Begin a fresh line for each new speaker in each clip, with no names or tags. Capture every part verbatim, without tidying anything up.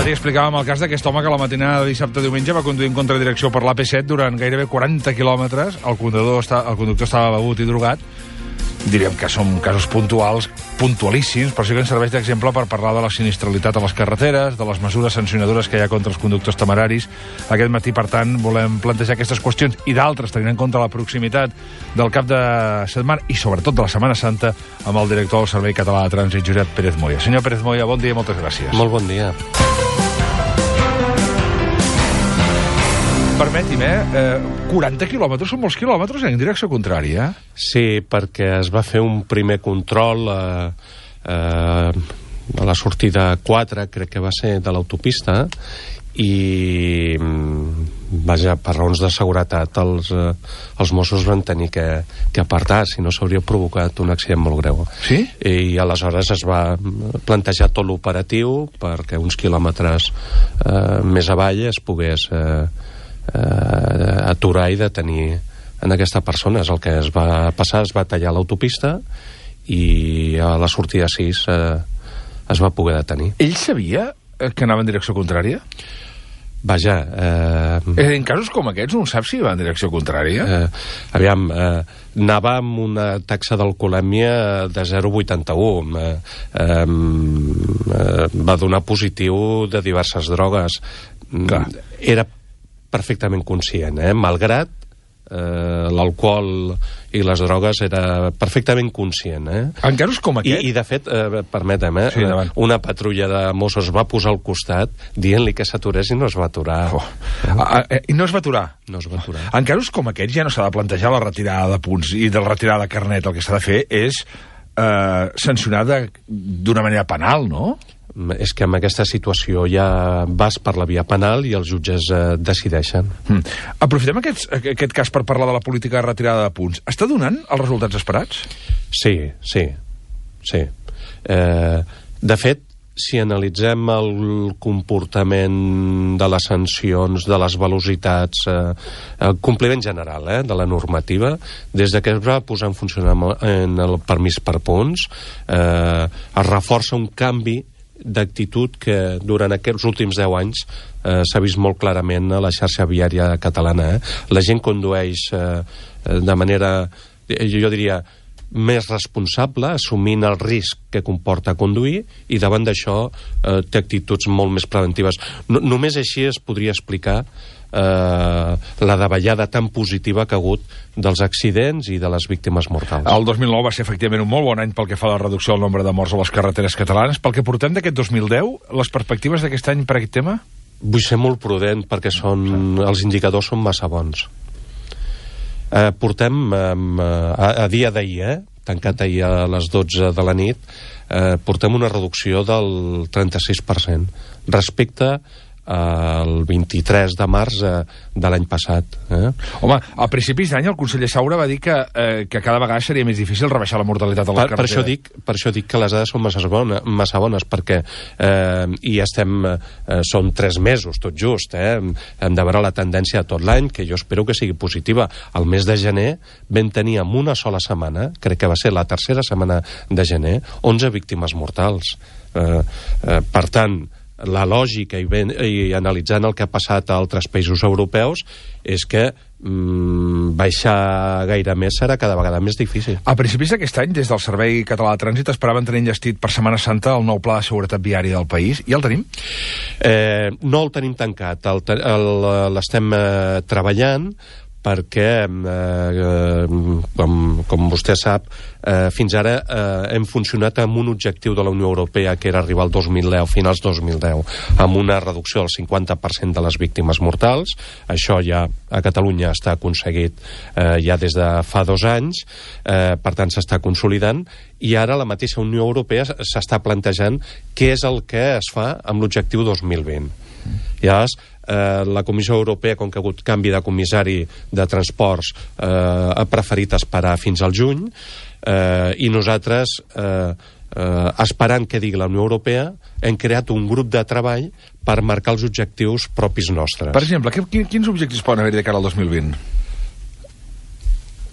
matí explicàvem el cas d'aquest home que la matinada de dissabte-diumenge va conduir en contradirecció per l'A P set durant gairebé quaranta quilòmetres. El conductor, està, el conductor estava begut i drogat. Diríem que són casos puntuals, puntualíssims, però sí que ens serveix d'exemple per parlar de la sinistralitat a les carreteres, de les mesures sancionadores que hi ha contra els conductors temeraris. Aquest matí, per tant, volem plantejar aquestes qüestions i d'altres, tenint en compte la proximitat del cap de setmana i sobretot de la Setmana Santa, amb el director del Servei Català de Trànsit, Josep Pérez Moya. Senyor Pérez Moya, bon dia i moltes gràcies.
Molt bon dia.
Permeti'm, eh? eh? quaranta quilòmetres són molts quilòmetres en direcció contrària.
Sí, perquè es va fer un primer control eh, eh, a la sortida quatre, crec que va ser, de l'autopista, i vaja, per raons de seguretat els, eh, els Mossos van tenir que, que apartar, si no s'hauria provocat un accident molt greu.
Sí?
I aleshores es va plantejar tot l'operatiu perquè uns quilòmetres eh, més avall es pogués eh, eh, aturar i detenir en aquesta persona. És el que es va passar, es va tallar l'autopista i a la sortida sis eh, es va poder detenir.
Ell sabia que anava en direcció contrària?
Vaja... Eh,
en casos com aquests no sap si va en direcció contrària?
Eh, aviam, eh, anava amb una taxa d'alcoholèmia de zero coma vuitanta-u. Eh, eh, va donar positiu de diverses drogues.
Clar.
Era perfectament conscient, eh? Malgrat eh, l'alcohol i les drogues, era perfectament conscient. Eh?
En casos com aquest?
I, i de fet, eh, permetem, eh,
sí,
una patrulla de Mossos va posar al costat dient-li que s'aturés i no es va aturar.
Oh. Ah, eh, I no es va aturar?
No es va aturar.
En casos com aquests ja no s'ha de plantejar la retirada de punts i de la retirada de carnet. El que s'ha de fer és eh, sancionar d'una manera penal, no?
És que en aquesta situació ja vas per la via penal i els jutges eh, decideixen.
Mm. Aprofitem aquest, aquest cas per parlar de la política de retirada de punts. Està donant els resultats esperats?
Sí, sí, sí. Eh, de fet, si analitzem el comportament de les sancions, de les velocitats, eh, el compliment general eh, de la normativa, des de que es va posar en funcionament el permís per punts, eh, es reforça un canvi d'actitud que durant aquests últims deu anys eh, s'ha vist molt clarament a la xarxa viària catalana. Eh? La gent condueix eh, de manera, jo diria, més responsable, assumint el risc que comporta conduir, i davant d'això eh, té actituds molt més preventives. No, només així es podria explicar eh, la davallada tan positiva que ha hagut dels accidents i de les víctimes mortals.
El dos mil nou va ser efectivament un molt bon any pel que fa a la reducció del nombre de morts a les carreteres catalanes. Pel que portem d'aquest dos mil deu, les perspectives d'aquest any per aquest tema?
Vull ser molt prudent perquè són, els indicadors són massa bons. Eh, portem eh, a, a dia d'ahir, eh, tancat ahir a les dotze de la nit, eh, portem una reducció del trenta-sis per cent respecte el vint-i-tres de març eh, de l'any passat. Eh?
Home, a principis d'any el conseller Saura va dir que, eh, que cada vegada seria més difícil rebaixar la mortalitat a les
per,
carreteres.
Per això, dic, per això dic que les dades són massa, bona, massa bones, perquè eh, i estem, eh, són tres mesos, tot just, eh? Hem de veure la tendència de tot l'any, que jo espero que sigui positiva. El mes de gener vam tenir en una sola setmana, crec que va ser la tercera setmana de gener, onze víctimes mortals. Eh, eh, per tant, la lògica i, ben, i analitzant el que ha passat a altres països europeus és que mm, baixar gaire més serà cada vegada més difícil.
A principis d'aquest any, des del Servei Català de Trànsit, esperaven tenir enllestit per Setmana Santa el nou pla de seguretat viària del país. I el tenim?
Eh, no el tenim tancat. L'estem eh, treballant perquè, eh, com, com vostè sap, eh, fins ara eh, hem funcionat amb un objectiu de la Unió Europea que era arribar al dos mil deu, finals dos mil deu, amb una reducció del cinquanta per cent de les víctimes mortals. Això ja a Catalunya està aconseguit eh, ja des de fa dos anys, eh, per tant s'està consolidant, i ara la mateixa Unió Europea s'està plantejant què és el que es fa amb l'objectiu dos mil vint. Llavors, eh, la Comissió Europea, com que ha hagut canvi de comissari de transports, eh, ha preferit esperar fins al juny, eh, i nosaltres, eh, eh, esperant que digui la Unió Europea, hem creat un grup de treball per marcar els objectius propis nostres.
Per exemple, quins objectius poden haver-hi de cara al dos mil vint?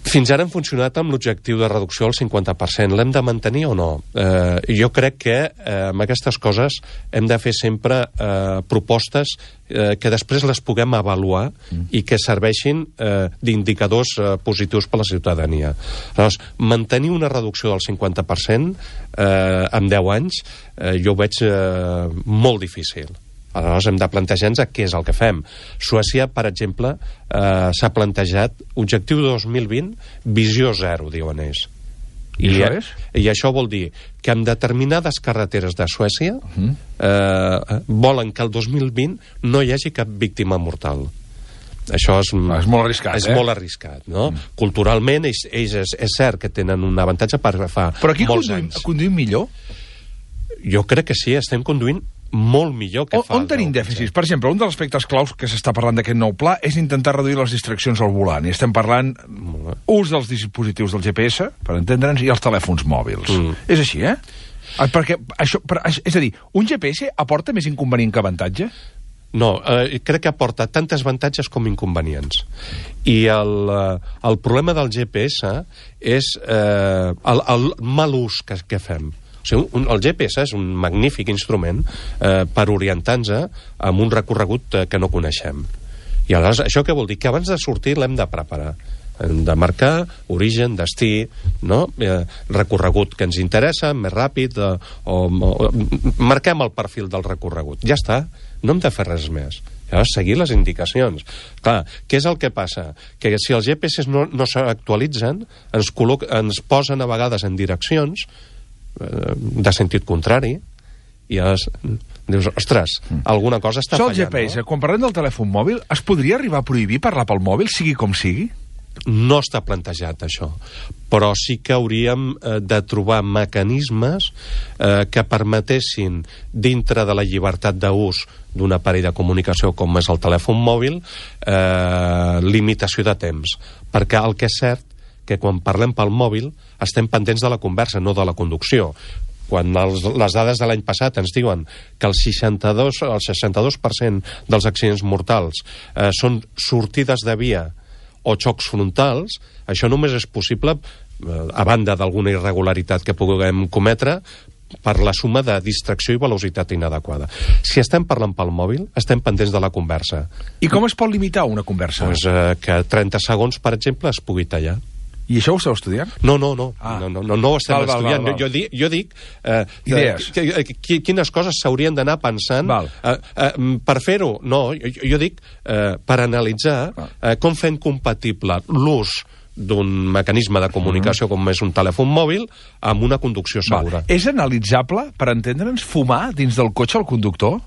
Fins ara hem funcionat amb l'objectiu de reducció al cinquanta per cent. L'hem de mantenir o no? Eh, jo crec que eh, amb aquestes coses hem de fer sempre eh, propostes eh, que després les puguem avaluar mm. i que serveixin eh, d'indicadors eh, positius per a la ciutadania. Llavors, mantenir una reducció del cinquanta per cent eh, en deu anys eh, jo ho veig eh, molt difícil. Aleshores hem de plantejar-nos què és el que fem. Suècia, per exemple, eh, s'ha plantejat objectiu dos mil vint, visió zero, diuen ells.
I, I, això és?
I això vol dir que en determinades carreteres de Suècia uh-huh. eh, volen que el dos mil vint no hi hagi cap víctima mortal. Això és,
ah, és molt arriscat,
és
eh?
molt arriscat, no? Mm. Culturalment, ells, ells és, és cert que tenen un avantatge per fa
Però aquí
molts
conduïm,
anys.
conduïm millor?
Jo crec que sí, estem conduint molt millor que
o,
fa...
On tenim dèficits? Per exemple, un dels aspectes claus que s'està parlant d'aquest nou pla és intentar reduir les distraccions al volant. I estem parlant ús dels dispositius del G P S, per entendre'ns, i els telèfons mòbils. Mm. És així, eh? Perquè això, per, és a dir, un G P S aporta més inconvenient que avantatge?
No, eh, crec que aporta tantes avantatges com inconvenients. I el, eh, el problema del G P S és eh, el, el mal ús que, que fem. O sigui, un, el G P S és un magnífic instrument eh, per orientar-nos amb un recorregut eh, que no coneixem. I aleshores, això què vol dir? Que abans de sortir l'hem de preparar. Hem de marcar origen, destí, no? eh, recorregut que ens interessa, més ràpid, eh, o, o marquem el perfil del recorregut. Ja està, no hem de fer res més. Llavors, seguir les indicacions. Clar, què és el que passa? Que si els G P S no, no s'actualitzen, ens, col·loc, ens posen a vegades en direccions de sentit contrari i llavors dius, ostres, alguna cosa està
fallant.
Això
el G P S, no? Quan parlem del telèfon mòbil, es podria arribar a prohibir parlar pel mòbil, sigui com sigui?
No està plantejat, això. Però sí que hauríem eh, de trobar mecanismes eh, que permetessin, dintre de la llibertat d'ús d'un aparell de comunicació com és el telèfon mòbil, eh, limitació de temps. Perquè el que és cert que quan parlem pel mòbil estem pendents de la conversa, no de la conducció. Quan els, les dades de l'any passat ens diuen que el seixanta-dos, el seixanta-dos per cent dels accidents mortals eh, són sortides de via o xocs frontals, això només és possible, eh, a banda d'alguna irregularitat que puguem cometre, per la suma de distracció i velocitat inadequada. Si estem parlant pel mòbil, estem pendents de la conversa.
I com es pot limitar una conversa?
Pues, eh, que trenta segons, per exemple, es pugui tallar.
I això ho esteu estudiant?
No, no, no.
Ah.
No, no, no, no ho estem
val,
estudiant.
Val, val, val.
Jo, jo dic... Jo dic eh,
Idees.
Que, que, quines coses s'haurien d'anar pensant eh, eh, per fer-ho. No, jo, jo dic eh, per analitzar eh, com fem compatible l'ús d'un mecanisme de comunicació com és un telèfon mòbil amb una conducció segura.
Val. És analitzable, per entendre'ns, fumar dins del cotxe al conductor?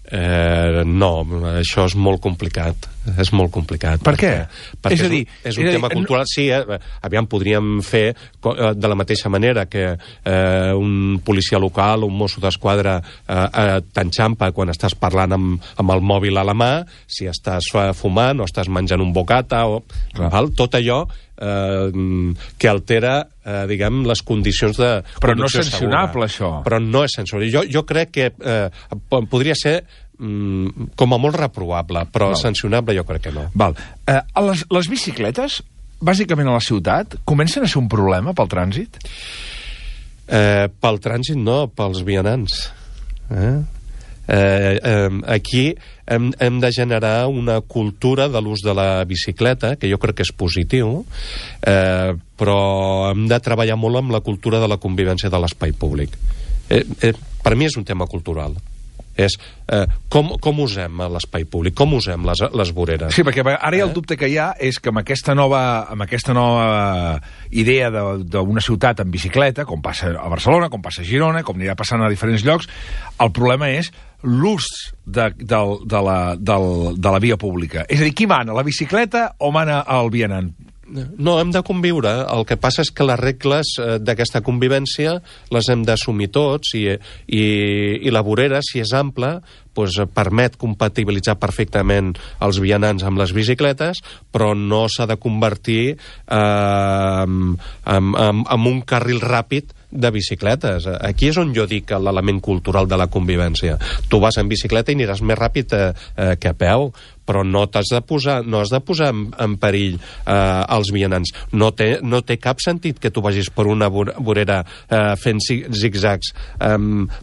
Eh, no, això és molt complicat. És molt complicat.
Per què?
Perquè, perquè és, a dir, és un, és un és tema dir, cultural. No... Sí, eh, aviam, podríem fer de la mateixa manera que eh, un policia local, un mosso d'esquadra eh, eh, t'enxampa quan estàs parlant amb, amb el mòbil a la mà, si estàs fumant o estàs menjant un bocata o... Val? Tot allò eh, que altera eh, diguem, les condicions de
però no és sancionable,
segura.
Això.
Però no és sancionable. Jo, jo crec que eh, podria ser mm, com a molt reprovable, però Val. sancionable jo crec que no.
Val. Eh, les, les bicicletes, bàsicament a la ciutat, comencen a ser un problema pel trànsit?
Eh, pel trànsit no, pels vianants. Eh? Eh, eh, aquí hem, hem de generar una cultura de l'ús de la bicicleta, que jo crec que és positiu, eh, però hem de treballar molt amb la cultura de la convivència de l'espai públic. Eh, eh, per mi és un tema cultural. És eh, com, com usem l'espai públic, com usem les, les voreres.
Sí, perquè ara eh? el dubte que hi ha és que amb aquesta nova, amb aquesta nova idea d'una ciutat en bicicleta, com passa a Barcelona, com passa a Girona, com anirà passant a diferents llocs, el problema és l'ús de, de, de, la, de, de la via pública. És a dir, qui mana, la bicicleta o mana el vianant?
No, hem de conviure. El que passa és que les regles eh, d'aquesta convivència les hem d'assumir tots i, i, i la vorera, si és ampla, doncs, permet compatibilitzar perfectament els vianants amb les bicicletes, però no s'ha de convertir eh, en, en, en un carril ràpid de bicicletes. Aquí és on jo dic l'element cultural de la convivència. Tu vas en bicicleta i aniràs més ràpid eh, eh, que a peu, però no t'has de posar, no has de posar en, en perill eh, els vianants. No té, no té cap sentit que tu vagis per una vorera eh, fent zigzags eh,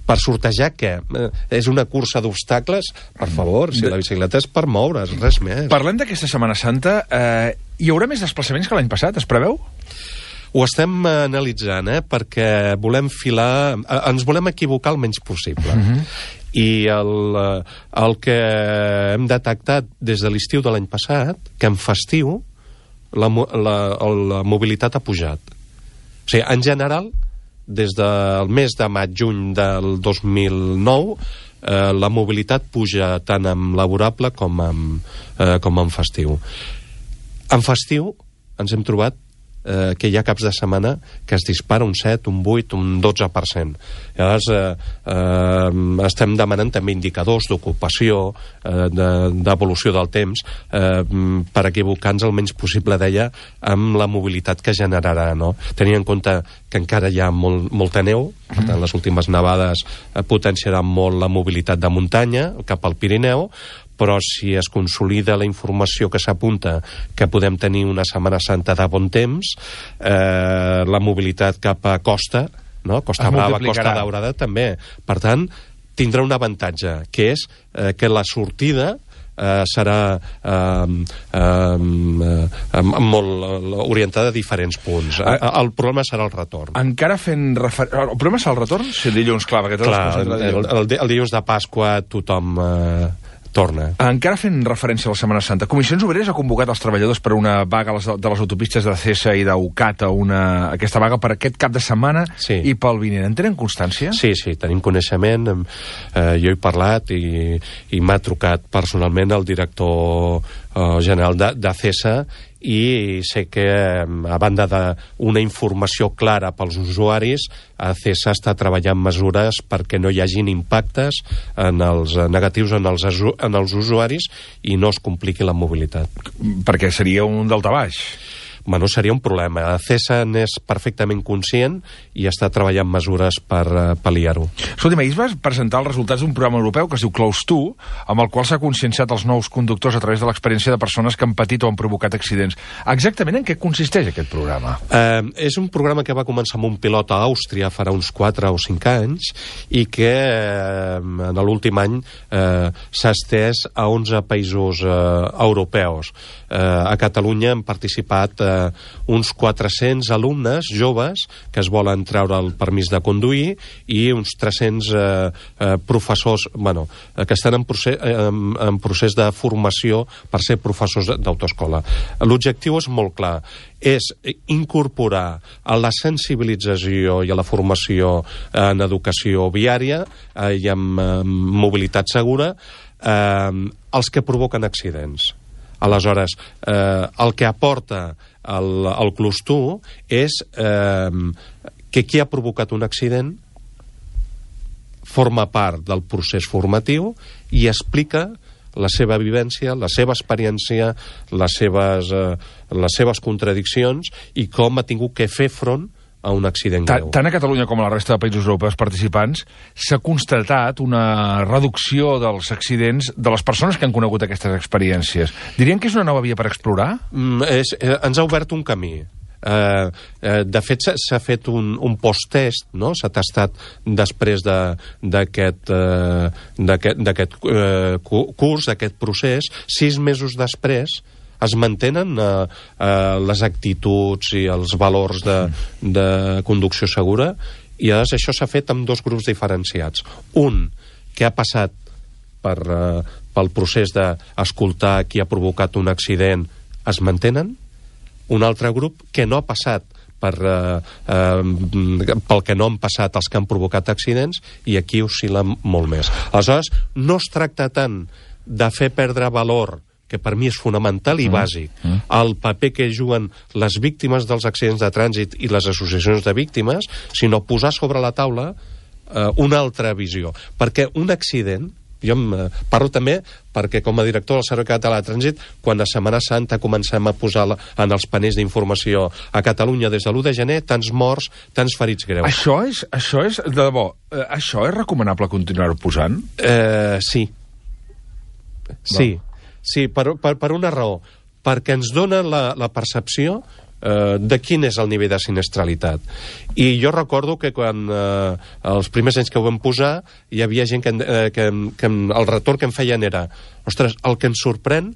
per sortejar què? Eh, és una cursa d'obstacles? Per favor, si la bicicleta és per moure's, res més.
Parlem d'aquesta Setmana Santa. Eh, hi haurà més desplaçaments que l'any passat, es preveu?
Ho estem analitzant, eh, perquè volem filar... Ens volem equivocar el menys possible. Uh-huh. I el, el que hem detectat des de l'estiu de l'any passat, que en festiu la, la, la mobilitat ha pujat. O sigui, en general, des del mes de maig-juny del dos mil nou, eh, la mobilitat puja tant en laborable com en, eh, com en festiu. En festiu ens hem trobat Eh, que hi ha caps de setmana que es dispara un set, un vuit, un dotze per cent. Llavors, eh, eh, estem demanant també indicadors d'ocupació, eh, d'evolució del temps, eh, per equivocar-nos el menys possible, deia, amb la mobilitat que generarà, no? Tenint en compte que encara hi ha molt, molta neu, per tant, les últimes nevades eh, potenciaran molt la mobilitat de muntanya cap al Pirineu, però si es consolida la informació que s'apunta que podem tenir una Setmana Santa de bon temps, eh, la mobilitat cap a costa, no? Costa Brava, Costa Daurada, també. Per tant, tindrà un avantatge, que és eh, que la sortida eh, serà eh, eh, eh, molt orientada a diferents punts. Eh, el problema serà el retorn.
Encara fent refer... El problema serà el retorn? Si el dilluns, clar, perquè
clar, el, el, el, el dilluns de Pasqua tothom... Eh, torna.
Encara fent referència a la Setmana Santa, Comissions Obreres ha convocat els treballadors per una vaga de les autopistes de Acesa i d'Ucat, una, aquesta vaga per aquest cap de setmana sí. I pel vinent. En tenen constància?
Sí, sí, tenim coneixement. Eh, jo he parlat i, i m'ha trucat personalment el director eh, general d'Acesa i sé que, a banda d'una informació clara pels usuaris, Acesa està treballant mesures perquè no hi hagin impactes en els negatius en els, en els usuaris i no es compliqui la mobilitat.
Perquè seria un daltabaix.
Bueno, seria un problema. Acesa n'és perfectament conscient i està treballant mesures per uh, pal·liar-ho.
Escolta, ahir vas presentar els resultats d'un programa europeu que es diu Close to, amb el qual s'ha conscienciat els nous conductors a través de l'experiència de persones que han patit o han provocat accidents. Exactament en què consisteix aquest programa?
Uh, és un programa que va començar amb un pilot a Àustria farà uns quatre o cinc anys i que uh, en l'últim any uh, s'ha estès a onze països uh, europeus. Uh, a Catalunya han participat uh, uns quatre-cents alumnes joves que es volen treure el permís de conduir i uns tres-cents eh, eh, professors bueno, eh, que estan en procés, eh, en, en procés de formació per ser professors d'autoescola. L'objectiu és molt clar, és incorporar a la sensibilització i a la formació en educació viària eh, i en, en mobilitat segura eh, els que provoquen accidents. Aleshores, eh, el que aporta el, el Close to és eh, que qui ha provocat un accident forma part del procés formatiu i explica la seva vivència, la seva experiència, les seves, eh, les seves contradiccions i com ha tingut que fer front a un accident greu.
Tant a Catalunya com a la resta de països europeus participants s'ha constatat una reducció dels accidents de les persones que han conegut aquestes experiències. Dirien que és una nova via per explorar?
Mm, és, eh, ens ha obert un camí. Eh, eh, de fet, s'ha fet un, un post-test, no? S'ha tastat després d'aquest de, eh, eh, curs, d'aquest procés, sis mesos després es mantenen eh, eh, les actituds i els valors de, de conducció segura i llavors això s'ha fet amb dos grups diferenciats. Un que ha passat per, eh, pel procés d'escoltar qui ha provocat un accident es mantenen. Un altre grup que no ha passat per, eh, eh, pel que no han passat els que han provocat accidents i aquí oscil·la molt més. Aleshores, no es tracta tant de fer perdre valor que per mi és fonamental i mm. bàsic, mm. el paper que juguen les víctimes dels accidents de trànsit i les associacions de víctimes, sinó posar sobre la taula eh, una altra visió. Perquè un accident Jo em, eh, parlo també perquè, com a director del Servei Català de Trànsit, quan a Setmana Santa comencem a posar la, en els panells d'informació a Catalunya des de l'u de gener, tants morts, tants ferits greus.
Això és, això és de debò, eh, això és recomanable continuar-ho posant?
Eh, sí. Sí, sí per, per, per una raó. Perquè ens dona la, la percepció eh, de quin és el nivell de sinistralitat. I jo recordo que quan eh, els primers anys que ho vam posar hi havia gent que, eh, que, que el retorn que em feien era ostres, el que ens sorprèn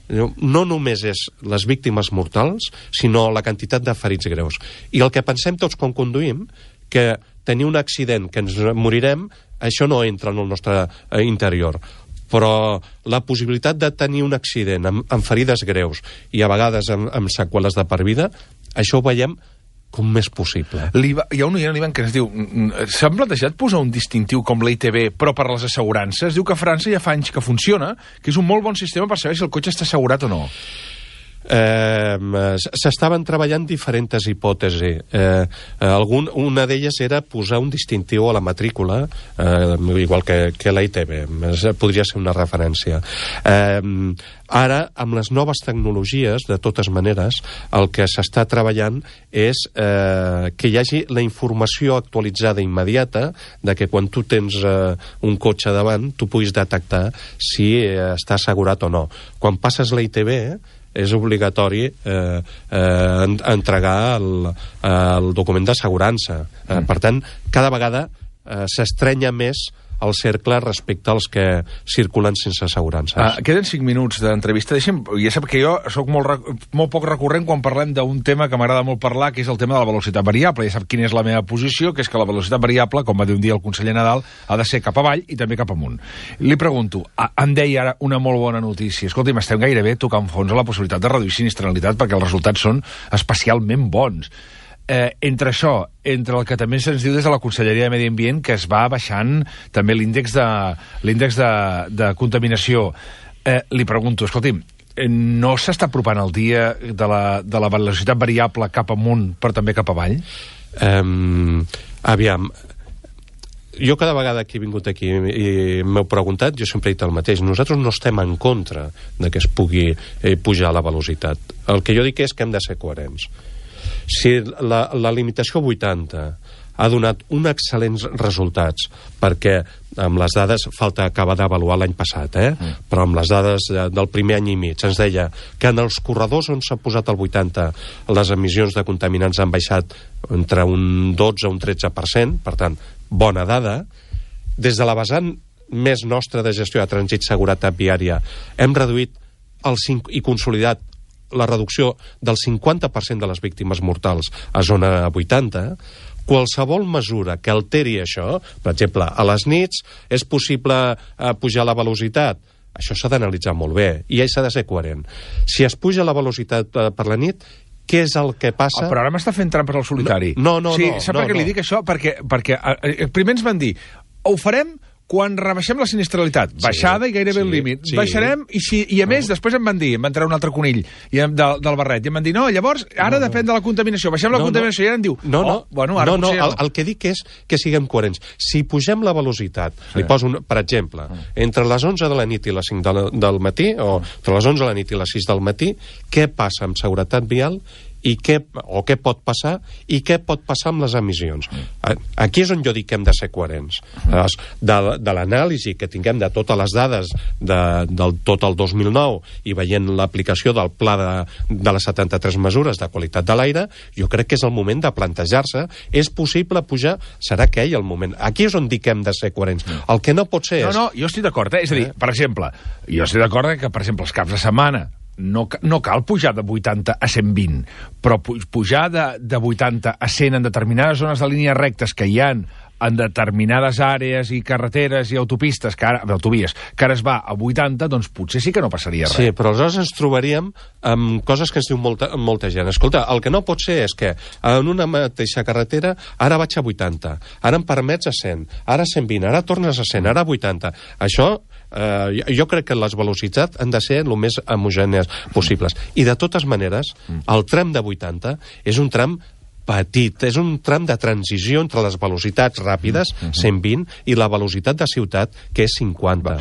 no només és les víctimes mortals, sinó la quantitat de ferits greus. I el que pensem tots quan conduïm, que tenir un accident, que ens morirem, això no entra en el nostre eh, interior. Però la possibilitat de tenir un accident amb, amb ferides greus i a vegades amb, amb seqüeles de per vida, això ho veiem com més possible.
Hi ha un oient, l'Ivan, que ens diu s'han plantejat posar un distintiu com l'I T B però per les assegurances? Diu que a França ja fa anys que funciona, que és un molt bon sistema per saber si el cotxe està assegurat o no.
Eh, s'estaven treballant diferents hipòtesis. Eh, algun, una d'elles era posar un distintiu a la matrícula, eh, igual que, que la I T B. Podria ser una referència. Eh, ara, amb les noves tecnologies, de totes maneres, el que s'està treballant és eh, que hi hagi la informació actualitzada immediata de que quan tu tens eh, un cotxe davant, tu puguis detectar si eh, està assegurat o no. Quan passes la I T B, és obligatori eh, eh, entregar el, el document d'assegurança. Eh, per tant, cada vegada eh, s'estrenya més el cercle respecte als que circulen sense assegurances.
Ah, queden cinc minuts d'entrevista. Deixa'm, ja sap que jo sóc molt, molt poc recurrent quan parlem d'un tema que m'agrada molt parlar, que és el tema de la velocitat variable. Ja sap quina és la meva posició, que és que la velocitat variable, com va dir un dia el conseller Nadal, ha de ser cap avall i també cap amunt. Li pregunto, em deia ara una molt bona notícia. Escolti'm, estem gairebé tocant fons a la possibilitat de reduir sinistralitat perquè els resultats són especialment bons. Eh, entre això, entre el que també se'ns diu des de la Conselleria de Medi Ambient, que es va baixant també l'índex de, l'índex de, de contaminació, eh, li pregunto, escolti'm, no s'està apropant el dia de la, de la velocitat variable cap amunt però també cap avall?
Um, aviam, jo cada vegada que he vingut aquí i m'heu preguntat, jo sempre he dit el mateix. Nosaltres no estem en contra de que es pugui eh, pujar la velocitat. El que jo dic és que hem de ser coherents. Si la, la limitació vuitanta ha donat uns excel·lents resultats, perquè amb les dades, falta acabar d'avaluar l'any passat, eh? Mm. però amb les dades del primer any i mig, ens deia que en els corredors on s'ha posat el vuitanta les emissions de contaminants han baixat entre un dotze a un tretze per cent, per tant, bona dada. Des de la vessant més nostra de gestió de trànsit, seguretat viària, hem reduït el cinc, i consolidat la reducció del cinquanta per cent de les víctimes mortals a zona vuitanta. Qualsevol mesura que alteri això, per exemple, a les nits és possible eh, pujar la velocitat, això s'ha d'analitzar molt bé i s'ha de ser coherent. Si es puja la velocitat eh, per la nit, què és el que passa?
Oh, però ara m'està fent trampes al solitari.
No, no, no.
Sí,
no,
sap
no,
per què
no.
li dic això? Perquè, perquè eh, primer ens van dir, ho farem quan rebaixem la sinistralitat, baixada sí, i gairebé sí, el límit. Sí. Baixarem, i, si, i a més, no. després em van dir, em van treure un altre conill i em, del, del barret, i em van dir, no, llavors, ara no, depèn no. de la contaminació, baixem la no, contaminació, no. i ara em diu,
no, no,
oh, bueno, ara
no, no,
potser...
El, el que dic és que siguem coherents. Si pugem la velocitat, sí. li poso, un, per exemple, mm. entre les onze de la nit i les cinc de la, del matí, o entre les onze de la nit i les sis del matí, què passa amb seguretat vial i què, o què pot passar i què pot passar amb les emissions. Aquí és on jo dic que hem de ser coherents. De, de l'anàlisi que tinguem de totes les dades de, del tot el dos mil nou i veient l'aplicació del pla de, de les setanta-tres mesures de qualitat de l'aire, jo crec que és el moment de plantejar-se, és possible pujar, serà aquell el moment. Aquí és on dic que hem de ser coherents. El que no pot ser
no,
és...
No, no, jo estic d'acord, eh? És a dir, per exemple, jo estic d'acord que, per exemple, els caps de setmana No, no cal pujar de vuitanta a cent vint, però pujar de, de vuitanta a cent en determinades zones de línies rectes que hi ha en determinades àrees i carreteres i autopistes, que ara, autovies, que ara es va a vuitanta, doncs potser sí que no passaria res.
Sí, però aleshores ens trobaríem amb coses que ens diu molta, molta gent. Escolta, el que no pot ser és que en una mateixa carretera ara vaig a vuitanta, ara em permets a cent, ara a cent vint, ara tornes a cent, ara a vuitanta. Això... Uh, jo crec que les velocitats han de ser el més homogènies possibles. I de totes maneres, el tram de vuitanta és un tram petit. És un tram de transició entre les velocitats ràpides, mm -hmm. cent vint, i la velocitat de ciutat, que és cinquanta.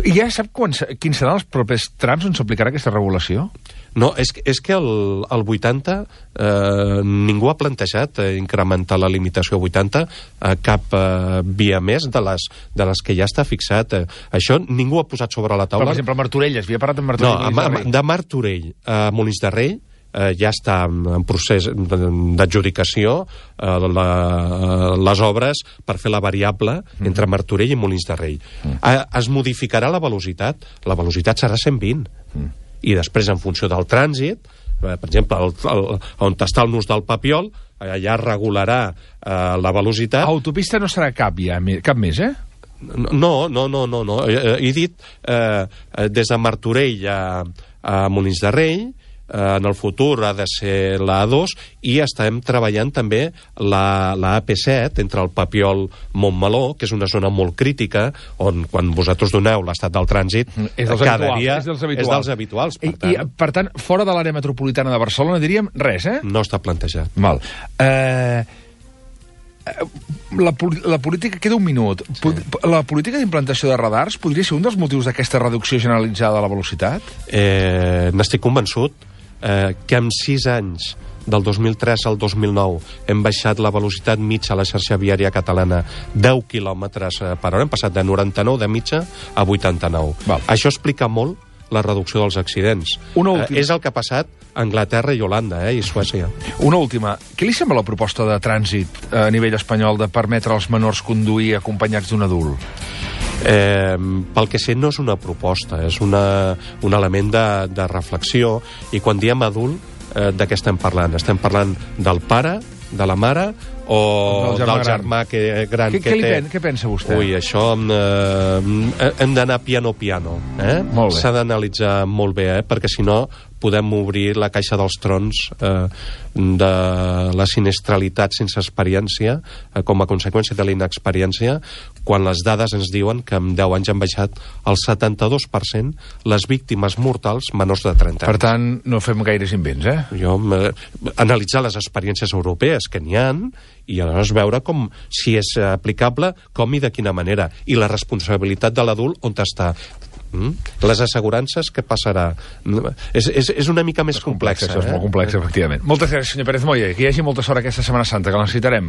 I ja sap quan, quins seran els propers trams on s'aplicarà aquesta regulació?
No, és, és que el, el vuitanta eh, ningú ha plantejat eh, incrementar la limitació a vuitanta a cap eh, via més de les, de les que ja està fixat. Eh. Això ningú ha posat sobre la taula.
Però, per exemple, Martorell, es havia parlat de Martorell.
No, a, de Martorell a Molins de Rei eh, ja està en procés d'adjudicació eh, la, les obres per fer la variable mm. entre Martorell i Molins de Rei. Mm. Eh, es modificarà la velocitat. La velocitat serà cent vint. Mm. I després, en funció del trànsit, per exemple, el, el, on està el nus del Papiol, allà regularà eh, la velocitat.
A autopista no serà cap ja, cap més, eh?
No, no, no, no. no. He, he dit eh, des de Martorell a, a Molins de Rei, eh, en el futur ha de ser la A dos, i estem treballant també la, la A P set entre el Papiol-Montmeló, que és una zona molt crítica, on quan vosaltres doneu l'estat del trànsit,
és dels
cada
habituals,
dia
és dels habituals.
És dels habituals per,
I, tant. I, per tant, fora de l'àrea metropolitana de Barcelona diríem res, eh?
No està plantejat.
Val. Eh... La, la política... Queda un minut. Sí. La política d'implantació de radars podria ser un dels motius d'aquesta reducció generalitzada de la velocitat?
Eh, N'estic convençut eh, que en sis anys, del dos mil tres al dos mil nou, hem baixat la velocitat mitja a la xarxa viària catalana deu quilòmetres per hora. Hem passat de noranta-nou de mitja a vuitanta-nou. Val. Això explica molt la reducció dels accidents.
Una última.
Eh, és el que ha passat a Anglaterra i Holanda, eh, i Suècia.
Una última. Què li sembla la proposta de trànsit a nivell espanyol de permetre als menors conduir acompanyats d'un adult?
Eh, pel que sé, no és una proposta, és una, un element de, de reflexió, i quan diem adult, eh, de què estem parlant? Estem parlant del pare, de la mare, o del germà, del germà gran. que, gran
què,
que
què
té...
Pen, què pensa vostè?
Ui, això eh, hem d'anar piano piano, eh? S'ha d'analitzar molt bé, eh? Perquè si no podem obrir la caixa dels trons eh, de la sinistralitat sense experiència, eh, com a conseqüència de la inexperiència, quan les dades ens diuen que en deu anys han baixat el setanta-dos per cent les víctimes mortals menors de trenta anys.
Per tant, no fem gaires invents, eh?
Jo, eh, analitzar les experiències europees, que n'hi ha, i aleshores veure com, si és aplicable, com i de quina manera. I la responsabilitat de l'adult on està. Mm? Les assegurances, què passarà? És, és, és una mica més
és
complexa.
complex, eh? És molt complex, efectivament. Moltes gràcies, senyor Pérez Moya. Que hi hagi molta sort aquesta Setmana Santa, que la necessitarem.